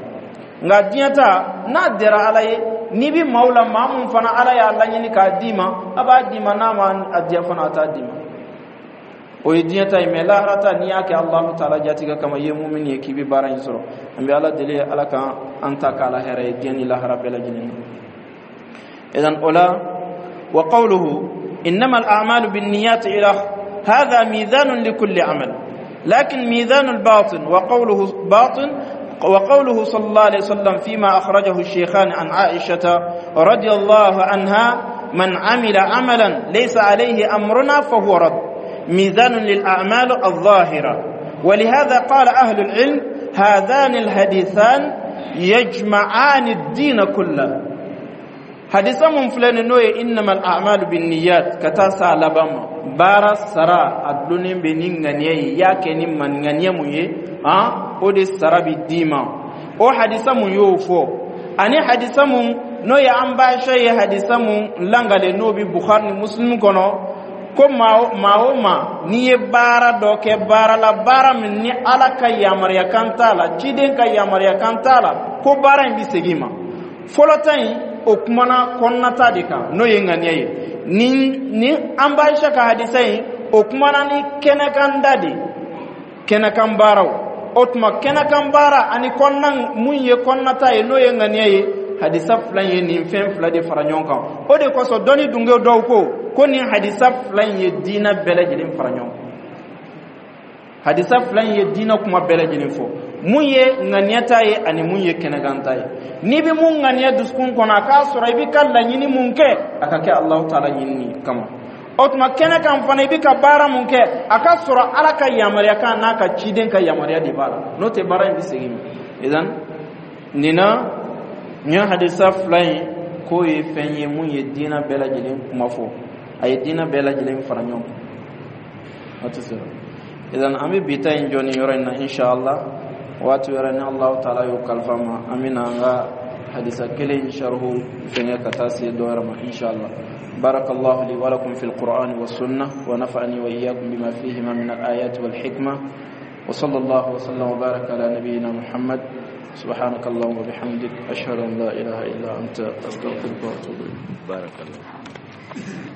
Nka diɲɛ ta, n'a diyara Ala ye, n'i bɛ maaw la, maa mun fana Ala y'a laɲini k'a d'i ma, a b'a d'i ma, n'a ma a diya fana, a t'a d'i ma. O ye diɲɛ ta ye. Mɛ lahara ta, n'i y'a kɛ Alahu Taala jatigɛ kama, i ye mumini ye, k'i bɛ baara in sɔrɔ. An bɛ Ala deli, Ala ka an ta k'a la hɛrɛ ye diɲɛ ni lahara bɛɛ lajɛlen na. Idan o la, وقوله إنما الأعمال بالنيات إلى هذا ميزان لكل عمل، لكن ميزان الباطن. وقوله باطن، وقوله صلى الله عليه وسلم فيما أخرجه الشيخان عن عائشة رضي الله عنها: من عمل عملا ليس عليه أمرنا فهو رد، ميزان للأعمال الظاهرة. ولهذا قال أهل العلم: هذان الحديثان يجمعان الدين كله. Hadisa mun filɛ nin, n'o ye إنما الأعمال بالنيات ka taa s'a laban ma, baara sara a dulonnen bɛ ni ŋaniya ye, i y'a kɛ ni ŋaniya mun ye, han, o de sara bi d'i ma. O hadisa mun y'o fɔ, ani hadisa mun n'o ye an baasha ye, hadisa mun langale, n'o bi Bukhari ni Muslim kɔnɔ, ko maa o maa n'i ye baara dɔ kɛ baara la, baara min ni Ala ka yamaruya kan t'a la, ciden ka yamaruya kan t'a la, ko baara in bi segin i ma. Fɔlɔ ta in, o kumana kɔnɔnata de kan, n'o ye ŋaniya ye. Ni an b'Aisha ka hadisa in, o kumana ni kɛnɛkan da de, kɛnɛkan baaraw. O tuma kɛnɛkan baara ani kɔnɔna mun ye kɔnɔnata ye, n'o ye ŋaniya ye, hadisa fila in ye nin fɛn fila de fara ɲɔgɔn kan. O de kosɔn dɔnni dunge dɔw ko nin hadisa fila in ye diinɛ bɛɛ lajɛlen fara ɲɔgɔn kan. Hadisa fila in ye diinɛ kuma bɛɛ lajɛlen fɔ, mun ye ŋaniya ta ye ani mun ye kɛnɛkan ta ye. N'i bɛ mun ŋaniya dusukun kɔnɔ, a k'a sɔrɔ i bɛ ka laɲini mun kɛ, a ka kɛ Alahu Taala ɲinini kama. O tuma kɛnɛ kan fana, i bɛ ka baara mun kɛ, a ka sɔrɔ Ala ka yamaruya kan n'a ka ciden ka yamaruya de b'a la, n'o tɛ baara in bɛ segin ma. Idan nin na, nin hadisa fila in k'o ye fɛn ye mun ye diinɛ bɛɛ lajɛlen kuma fɔ, a ye diinɛ bɛɛ lajɛlen fara ɲɔgɔn kan. Waati sera, idan an bɛ bi ta in jɔ nin yɔrɔ in na. Inshallah, waati wɛrɛ ni Allahu Taala y'o kalifa ma, an bɛna an ka hadisa kelen sharhu fɛngɛ ka taa se dɔ wɛrɛ ma, inshallah. بارك الله لي ولكم في القرآن والسنة، ونفعني وإياكم بما فيهما من الآيات والحكمة، وصلى الله وسلم وبارك على نبينا محمد. سبحانك اللهم وبحمدك، أشهد أن لا إله إلا أنت، أستغفرك وأتوب إليك. بارك الله.